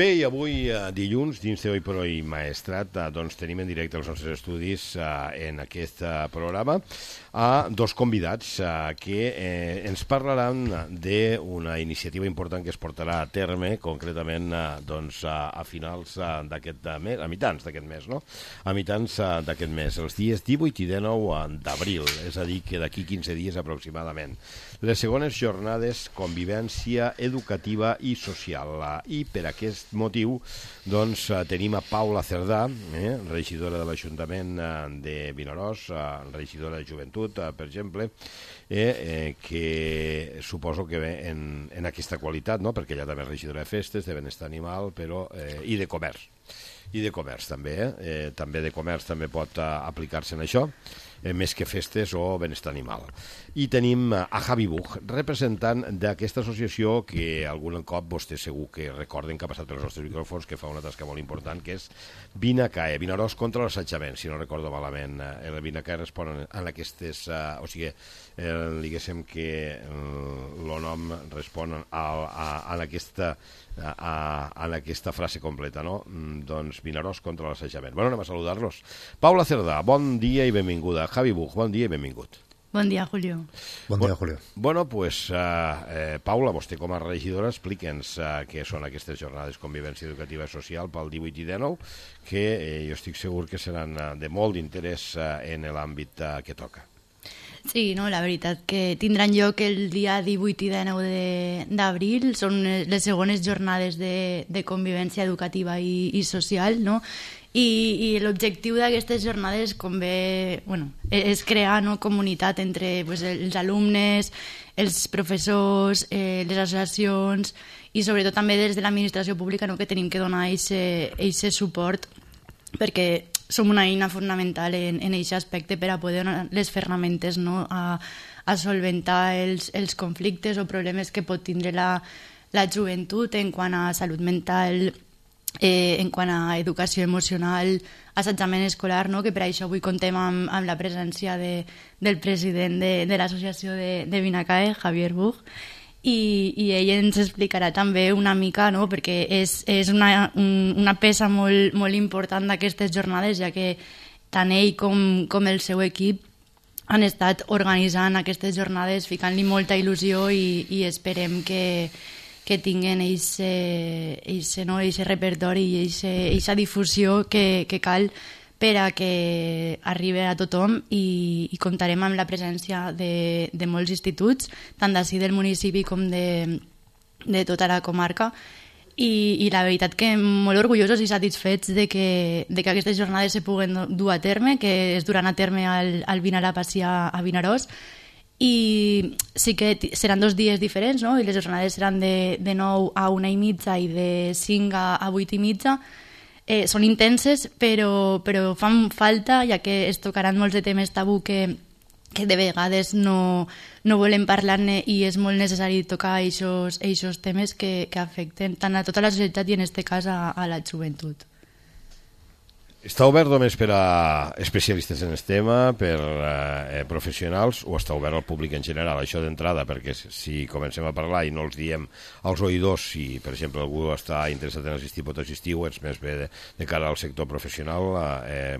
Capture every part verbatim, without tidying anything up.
Bé, i avui, eh, dilluns, dins de Hoy por Hoy Maestrat, eh, doncs tenim en directe els nostres estudis eh, en aquest eh, programa a dos convidats eh, que eh, ens parlaran d'una iniciativa important que es portarà a terme, concretament eh, doncs, a, a finals eh, d'aquest mes, a mitjans d'aquest mes, no? A mitjans eh, d'aquest mes, els dies divuit i dinou d'abril, és a dir, que d'aquí quinze dies aproximadament. Les segones jornades Convivència Educativa i Social. I per aquest motiu doncs, tenim a Paula Cerdà, eh, regidora de l'Ajuntament de Vinaròs, regidora de Joventut, per exemple, eh, eh, que suposo que ve en, en aquesta qualitat, no? Perquè ella també és regidora de festes, de benestar animal, però, eh, i de comerç. I de comerç també, eh? eh també de comerç també pot uh, aplicar-se en això, eh, més que festes o benestar animal. I tenim uh, a Javi Buch, representant d'aquesta associació que algun cop vostès segur que recorden que ha passat pels nostres micròfons, que fa una tasca molt important, que és Vinacae, Vinaròs contra l'assetjament, si no recordo malament. El Vinacae respon a aquestes, uh, o sigui, eh, diguéssim que el uh, nom respon a, a, a aquesta A, a, a aquesta frase completa, no? Doncs Vinaròs contra l'assetjament. Bueno, anem a saludar-los. Paula Cerdà, bon dia i benvinguda. Javi Buch, bon dia i benvingut. Bon dia, Julio. Bon dia, Julio. Bueno, pues, uh, eh, Paula, vostè com a regidora, explica'ns uh, què són aquestes jornades Convivència Educativa i Social pel divuit i dinou, que eh, jo estic segur que seran uh, de molt d'interès uh, en l'àmbit uh, que toca. Sí, no, la veritat que tindran lloc el dia divuit i dinou d'abril, són les segones jornades de, de convivència educativa i, i social, no? I, i l'objectiu d'aquestes jornades, com bé, bueno, és crear, no, comunitat entre pues, els alumnes, els professors, eh, les associacions i sobretot també des de l'administració pública, no, que tenim que donar aquest suport perquè som una eina fonamental en aquest aspecte per a poder donar les ferramentes, no, a, a solventar els, els conflictes o problemes que pot tindre la, la joventut en quant a salut mental, eh, en quant a educació emocional, assetjament escolar, no? Que per això avui contem amb, amb la presència de, del president de, de l'associació de, de Vinacae, Javier Buch, I, i ell ens explicarà també una mica, no? Perquè és, és una, un, una peça molt, molt important d'aquestes jornades, ja que tant ell com, com el seu equip han estat organitzant aquestes jornades, ficant-li molta il·lusió i, i esperem que, que tinguen eixe no, repertori i eixa difusió que, que cal per a que arribi a tothom i, i comptarem amb la presència de, de molts instituts, tant d'ací del municipi com de, de tota la comarca. I, I la veritat que molt orgullosos i satisfets de que, de que aquestes jornades se puguen dur a terme, que es duran a terme al, al Vinarà Pacià a Vinaròs. I sí que seran dos dies diferents, no? I les jornades seran de, de nou a una i mitja i de cinc a, a vuit i mitja. Eh, són intenses, però, però fan falta, ja que es tocaran molts de temes tabú que, que de vegades no, no volem parlar-ne i és molt necessari tocar aquests temes que, que afecten tant a tota la societat i en aquest cas a, a la joventut. Està obert només per a especialistes en el tema, per eh, professionals, o està obert al públic en general? Això d'entrada, perquè si comencem a parlar i no els diem als oïdors, si per exemple algú està interessat en assistir, pot assistir, o és més bé de, de cara al sector professional, eh,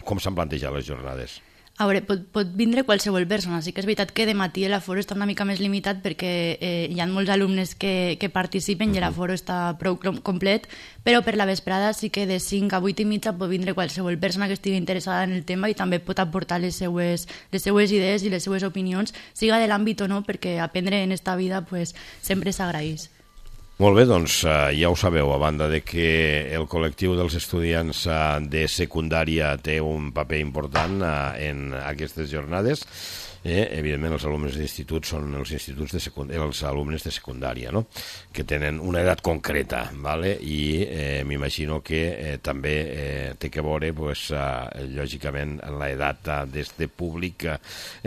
com s'han plantejat les jornades? A veure, pot, pot vindre qualsevol persona. Sí que és veritat que de matí l'aforo està una mica més limitat perquè eh, hi ha molts alumnes que, que participen uh-huh. i l'aforo està prou complet, però per la vesprada sí que de cinc a vuit i mitja pot vindre qualsevol persona que estigui interessada en el tema i també pot aportar les seues, les seues idees i les seues opinions, siga de l'àmbit o no, perquè aprendre en esta vida pues, sempre s'agraeix. Molt bé, doncs ja ho sabeu, a banda de que el col·lectiu dels estudiants de secundària té un paper important en aquestes jornades, eh, evidentment els alumnes d'institut són els instituts de secundària, els alumnes de secundària, no? Que tenen una edat concreta, vale? I eh, m'imagino que eh, també eh, té que veure, pues, eh, lògicament, l'edat eh, des de públic eh,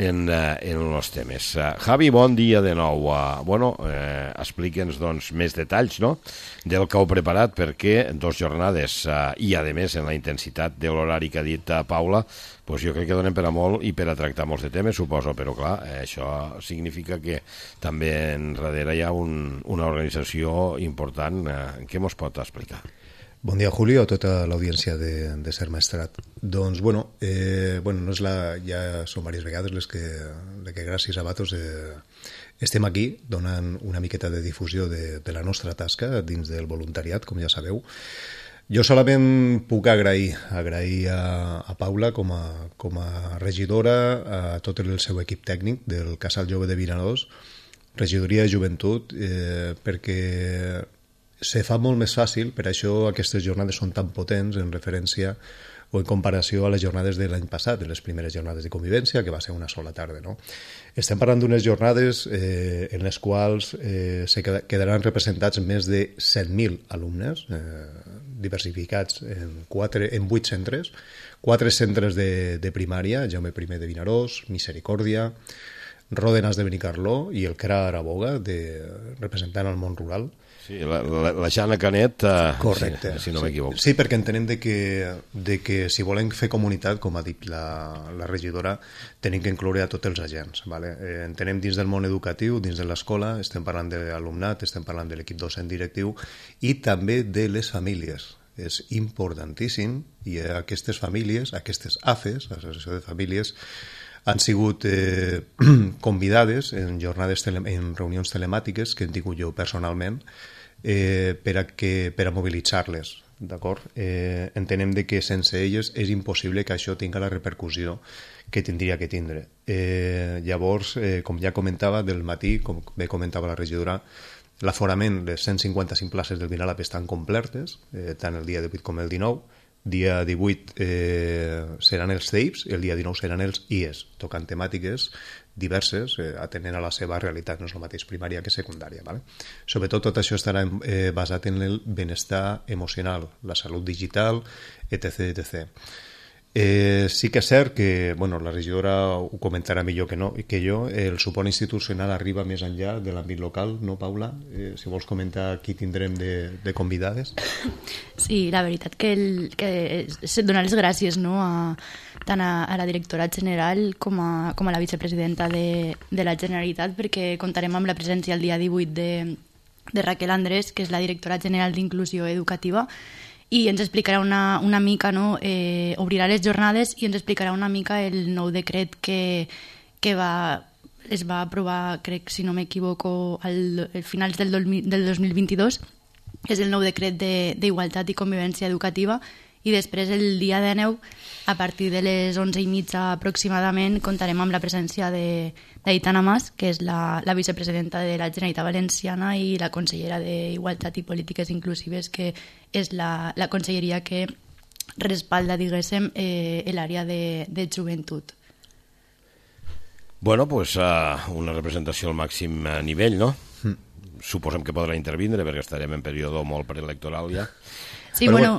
en, eh, en els temes. Eh, Javi, bon dia de nou. Eh, bueno, eh, explica'ns doncs, més detalls, no?, del que heu preparat, perquè dos jornades eh, i, a més, en la intensitat de l'horari que ha dit eh, Paula, pues jo crec que donen per a molt i per a tractar molts de temes, suposo, però clar, això significa que també en darrere hi ha un, una organització important. Eh, què mos pot explicar? Bon dia, Julio, a tota l'audiència de, de Ser Maestrat. Doncs, bueno, eh, bueno no és la, ja són diverses vegades les que, les que gràcies a Batos eh, estem aquí donant una miqueta de difusió de, de la nostra tasca dins del voluntariat, com ja sabeu. Jo solament puc agrair, agrair a, a Paula com a, com a regidora, a tot el seu equip tècnic del Casal Jove de Vinaròs, regidoria de joventut, eh, perquè se fa molt més fàcil, per això aquestes jornades són tan potents en referència o en comparació a les jornades de l'any passat, de les primeres jornades de convivència, que va ser una sola tarda. No? Estem parlant d'unes jornades eh, en les quals eh, se quedaran representats més de set mil alumnes, eh, diversificats en, quatre, en vuit centres, quatre centres de, de primària, Jaume primer de Vinaròs, Misericòrdia, Ròdenas de Benicarló i el C R A Araboga, de, representant el món rural. Sí, la, la, la Jana Canet, uh, correcte, si, si no m'equivoco. Sí, perquè entenem de que, de que si volem fer comunitat, com ha dit la, la regidora, tenim que incloure a tots els agents. Vale? Eh, entenem dins del món educatiu, dins de l'escola, estem parlant de l'alumnat, estem parlant de l'equip docent directiu i també de les famílies. És importantíssim i aquestes famílies, aquestes A F E S, Associació de Famílies, han sigut eh, convidades en jornades, tele, en reunions telemàtiques que hem tingut jo personalment eh, per a, que, per a mobilitzar-les. D'acord? Eh, entenem de que sense elles és impossible que això tinga la repercussió que tindria que tindre. Eh, llavors, eh, com ja comentava, del matí, com bé comentava la regidora, l'aforament, les cent cinquanta-cinc places del Vinalap estan complertes, eh, tant el dia divuit com el dinou. Dia divuit eh, seran els C E I Ps, el dia dinou seran els I E S, tocant temàtiques diverses, eh, atenent a la seva realitat, no és el mateix primària que secundària. Vale? Sobretot tot això estarà eh, basat en el benestar emocional, la salut digital, etcètera etcètera. Eh, sí que és cert que, bueno, la regidora ho comentarà millor que, no, que jo, el suport institucional arriba més enllà de l'àmbit local, no, Paula? Eh, si vols comentar qui tindrem de, de convidades. Sí, la veritat que, el, que és donar les gràcies, no, a, tant a, a la directora general com a, com a la vicepresidenta de, de la Generalitat, perquè comptarem amb la presència el dia divuit de, de Raquel Andrés, que és la directora general d'Inclusió Educativa, i ens explicarà una, una mica, no? eh, obrirà les jornades i ens explicarà una mica el nou decret que, que va, es va aprovar, crec, si no m'equivoco, al, al finals del, del dos mil vint-i-dos, que és el nou decret d'Igualtat i Convivència Educativa, i després el dia dinou, a partir de les onze i mitja aproximadament, comptarem amb la presència d'Aitana Mas, que és la, la vicepresidenta de la Generalitat Valenciana i la consellera d'Igualtat i Polítiques Inclusives, que és la, la conselleria que respalda, diguéssim, eh, l'àrea de, de joventut. Bueno, pues uh, una representació al màxim nivell, no? Mm. Suposem que podrà intervindre, perquè estarem en període molt preelectoral ja. Sí, Però, bueno...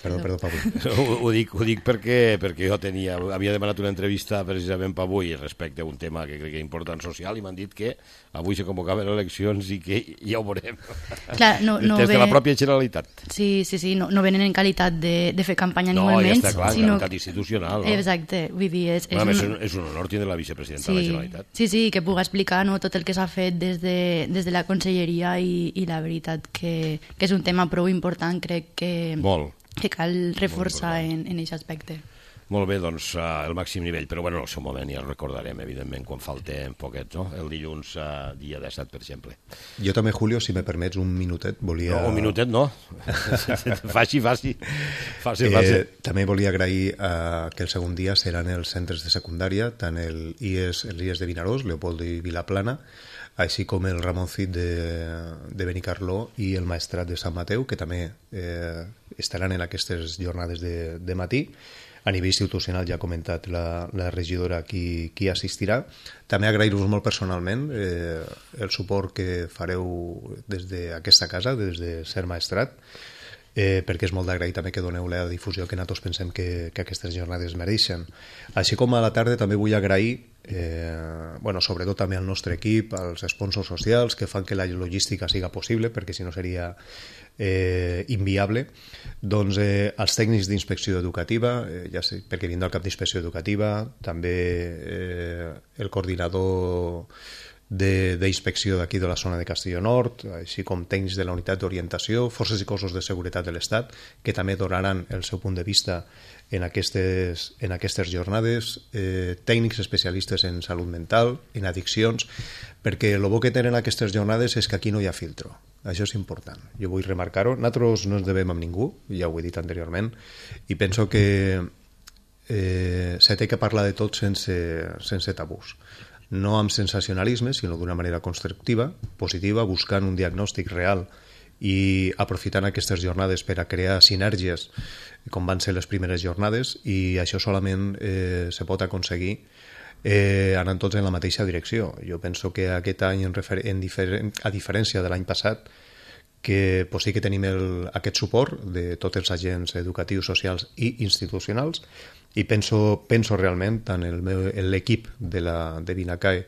Perdó, perdó, Pablo. Ho, ho dic, ho dic perquè, perquè jo tenia, havia demanat una entrevista precisament per avui respecte a un tema que crec que és important social i m'han dit que avui se convocaven eleccions i que ja ho veurem. Clar, no, no des ve... de la pròpia Generalitat. Sí, sí, sí, no, no venen en qualitat de, de fer campanya ni no, molt ja menys. Està clar, sinó... qualitat institucional. No? Exacte, vull dir... És, és, bueno, un... és, un, és un honor tindre la vicepresidenta sí, de la Generalitat. Sí, sí, que pugui explicar, no, tot el que s'ha fet des de, des de la conselleria i, i la veritat que, que és un tema prou important, crec que... Molt. que cal reforçar en, en aquest aspecte. Molt bé, doncs uh, el màxim nivell, però bueno, en el seu moment ja el recordarem, evidentment, quan falti un poquet, no? El dilluns, uh, dia disset, per exemple. Jo també, Julio, si me permets un minutet, volia... No, un minutet no. faci, faci. Faci, faci. Eh, també volia agrair uh, que el segon dia seran els centres de secundària, tant el I E S, el I E S de Vinaròs, Leopoldo i Vilaplana, així com el Ramon Cid de, de Benicarló i el Maestrat de Sant Mateu, que també eh, estaran en aquestes jornades de, de matí. A nivell institucional ja ha comentat la, la regidora qui, qui assistirà. També agrair-vos molt personalment eh, el suport que fareu des d'aquesta casa, des de Ser Maestrat. eh, perquè és molt d'agrair també que doneu la difusió que nosaltres pensem que, que aquestes jornades mereixen. Així com a la tarda també vull agrair, eh, bueno, sobretot també al nostre equip, als sponsors socials que fan que la logística siga possible, perquè si no seria eh, inviable, doncs eh, els tècnics d'inspecció educativa, eh, ja sé, perquè vinc del cap d'inspecció educativa, també eh, el coordinador d'inspecció d'aquí de la zona de Castelló Nord, així com tècnics de la unitat d'orientació, forces i cossos de seguretat de l'Estat, que també donaran el seu punt de vista en aquestes, en aquestes jornades, eh, tècnics especialistes en salut mental, en addiccions, perquè el bo que tenen aquestes jornades és que aquí no hi ha filtro. Això és important. Jo vull remarcar-ho. Nosaltres no ens devem amb ningú, ja ho he dit anteriorment, i penso que eh, se té que parlar de tot sense, sense tabús. No amb sensacionalisme, sinó d'una manera constructiva, positiva, buscant un diagnòstic real i aprofitant aquestes jornades per a crear sinergies, com van ser les primeres jornades, i això solament eh, se pot aconseguir eh, anant tots en la mateixa direcció. Jo penso que aquest any, en refer en diferent, a diferència de l'any passat, que pues, sí que tenim el, aquest suport de tots els agents educatius, socials i institucionals, i penso, penso realment, tant l'equip de, la, de Vinacae,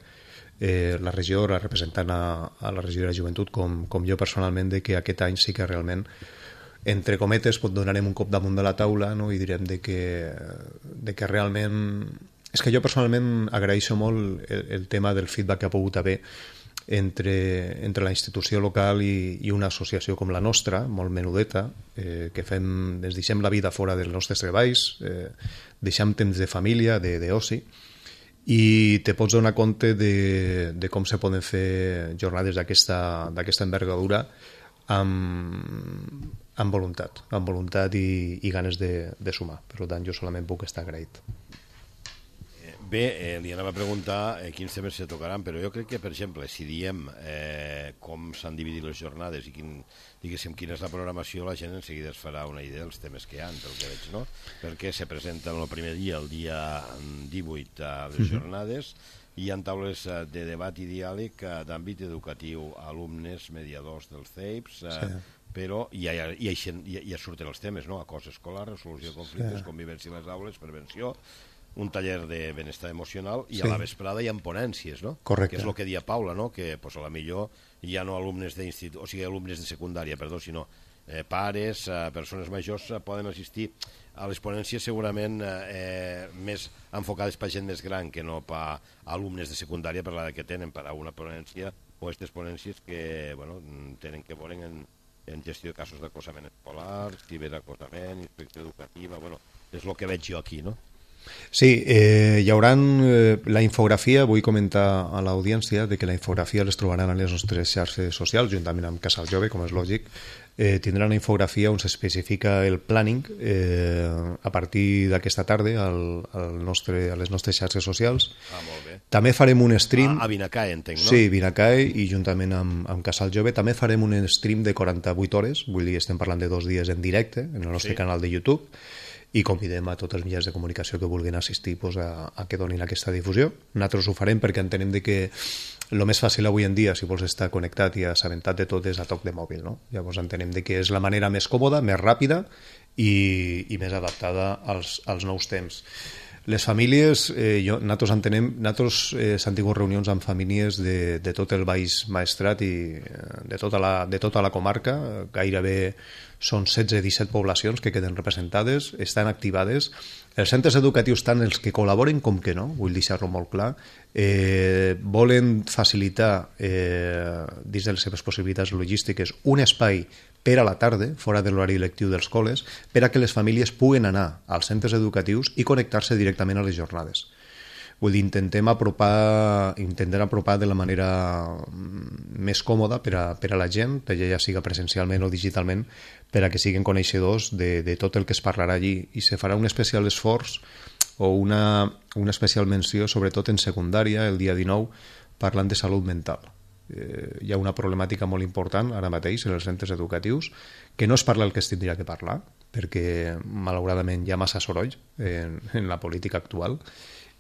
eh, la regidora representant a, a la regidora de joventut, com, com jo personalment, de que aquest any sí que realment, entre cometes, pot donarem un cop damunt de la taula, no? I direm de que, de que realment... És que jo personalment agraeixo molt el, el tema del feedback que ha pogut haver entre, entre la institució local i, i una associació com la nostra, molt menudeta, eh, que fem, ens deixem la vida fora dels nostres treballs, eh, deixem temps de família, d'oci, i te pots donar compte de, de com se poden fer jornades d'aquesta envergadura amb, amb voluntat, amb voluntat i, i ganes de, de sumar. Per tant, jo solament puc estar agraït. Bé, eh, li anava a preguntar eh, quins temes se tocaran, però jo crec que, per exemple, si diem eh, com s'han dividit les jornades i quin, diguéssim, quina és la programació, la gent en seguida es farà una idea dels temes que hi ha, pel que veig, no? Perquè se presenten el primer dia, el dia divuit, a les jornades, i hi ha taules de debat i diàleg d'àmbit educatiu, alumnes, mediadors dels C E I Ps, eh, sí. Però ja, ja, ja, ja, ja surten els temes, no? Acoso escolar, resolució de conflictes, sí. Convivència a les aules, prevenció, un taller de benestar emocional i sí. A la vesprada hi ha ponències, no? Correcte. Que és el que dia Paula, no? Que pues, a la millor ja no alumnes d'institut, o sigui, alumnes de secundària, perdó, sinó eh, pares, eh, persones majors eh, poden assistir a les ponències segurament eh, més enfocades per gent més gran que no per alumnes de secundària per l'edat que tenen, per a una ponència o aquestes ponències que bueno, tenen que veure en, en gestió de casos d'acosament escolar, ciberacosament, inspecció educativa, bueno, és el que veig jo aquí, no? Sí, eh, hi haurà eh, la infografia, vull comentar a l'audiència de que la infografia les trobaran a les nostres xarxes socials, juntament amb Casal Jove, com és lògic. Eh, tindrà una infografia on s'especifica el planning eh, a partir d'aquesta tarda al, al nostre, a les nostres xarxes socials. Ah, molt bé. També farem un stream... Ah, a Vinacae, entenc, no? Sí, Vinacae, i juntament amb, amb Casal Jove també farem un stream de quaranta-vuit hores, vull dir, estem parlant de dos dies en directe en el nostre sí. Canal de YouTube, i convidem a tots els mitjans de comunicació que vulguin assistir pues, a, a que donin aquesta difusió. Nosaltres ho farem perquè entenem de que el més fàcil avui en dia, si vols estar connectat i assabentat de tot, és a toc de mòbil, no? Llavors entenem de que és la manera més còmoda, més ràpida i, i més adaptada als, als nous temps. Les famílies, eh, jo, nosaltres entenem, nosaltres eh, s'han tingut reunions amb famílies de, de tot el Baix Maestrat i de tota la, de tota la comarca, gairebé són setze disset poblacions que queden representades, estan activades. Els centres educatius, tant els que col·laboren com que no, vull deixar-ho molt clar, eh, volen facilitar, eh, dins de les seves possibilitats logístiques, un espai per a la tarda, fora de l'horari lectiu dels col·les, per a que les famílies puguen anar als centres educatius i connectar-se directament a les jornades. Vull dir, intentem apropar, intentem apropar de la manera més còmoda per a, per a la gent, ja siga presencialment o digitalment, per a que siguin coneixedors de, de tot el que es parlarà allí. I se farà un especial esforç o una, una especial menció, sobretot en secundària, el dia dinou, parlant de salut mental. Eh, hi ha una problemàtica molt important ara mateix en els centres educatius, que no es parla el que es tindria que parlar, perquè malauradament hi ha massa soroll en, en la política actual,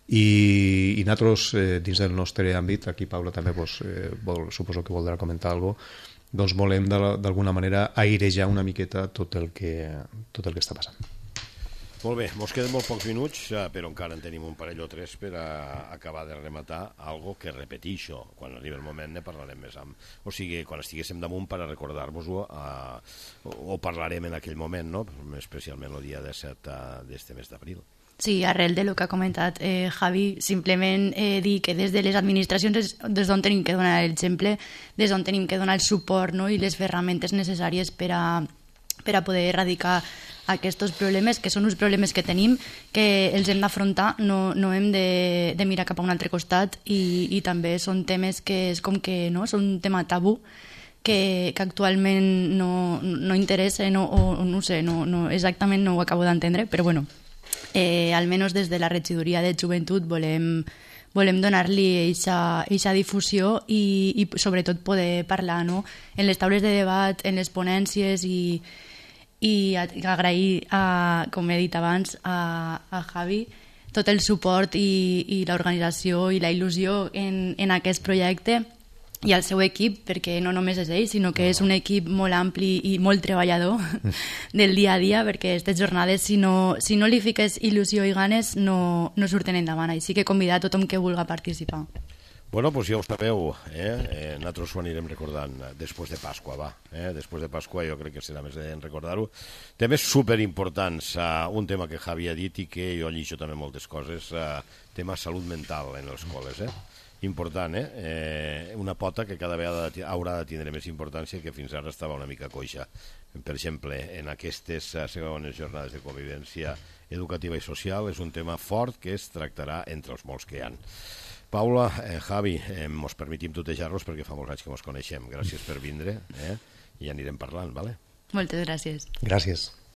i, i nosaltres, eh, dins del nostre àmbit, aquí Paula també pues, eh, vol, suposo que voldrà comentar alguna cosa, doncs volem d'alguna manera airejar una miqueta tot el que, tot el que està passant. Molt bé, mos queden molt pocs minuts, però encara en tenim un parell o tres per a acabar de rematar algo que repetixo. Quan arribi el moment ne parlarem més amb... O sigui, quan estiguéssim damunt per a recordar-vos-ho, eh, o parlarem en aquell moment, no? Especialment el dia disset d'este mes d'abril. Sí, arrel de lo que ha comentat eh, Javi, simplement eh, dir que des de les administracions és des d'on tenim que donar l'exemple, des d'on tenim que donar el suport, no? I les ferramentes necessàries per a, per a poder erradicar aquests problemes, que són uns problemes que tenim, que els hem d'afrontar, no, no hem de, de mirar cap a un altre costat, i, i també són temes que és com que no, són un tema tabú que, que actualment no, no interessa, no, o no sé, no, no, exactament no ho acabo d'entendre, però bueno, eh, almenys des de la regidoria de joventut volem, volem donar-li aquesta difusió i, i sobretot poder parlar, no? En les taules de debat, en les ponències, i i agrair, a, com he dit abans, a, a Javi tot el suport i, i l'organització i la il·lusió en, en aquest projecte, i al seu equip, perquè no només és ell, sinó que és un equip molt ampli i molt treballador del dia a dia, perquè aquestes jornades, si no, si no li fiques il·lusió i ganes, no, no surten endavant. Així que convidar a tothom que vulgui participar. Bueno, doncs ja ho sabeu, eh? eh nosaltres ho anirem recordant després de Pasqua, va. Eh? Després de Pasqua jo crec que serà més de recordar-ho. Temes superimportants, uh, un tema que Javi ha dit i que jo llixo també moltes coses, uh, tema salut mental en les escoles, eh? Important, eh? eh? Una pota que cada vegada haurà de tindre més importància, que fins ara estava una mica coixa. Per exemple, en aquestes uh, segones jornades de convivència educativa i social és un tema fort que es tractarà entre els molts que hi ha. Paula, eh, Javi, eh, mos permetim tutejar-los perquè fa molts anys que mos coneixem. Gràcies per vindre, eh? I anirem parlant, vale? Moltes gràcies. Gràcies.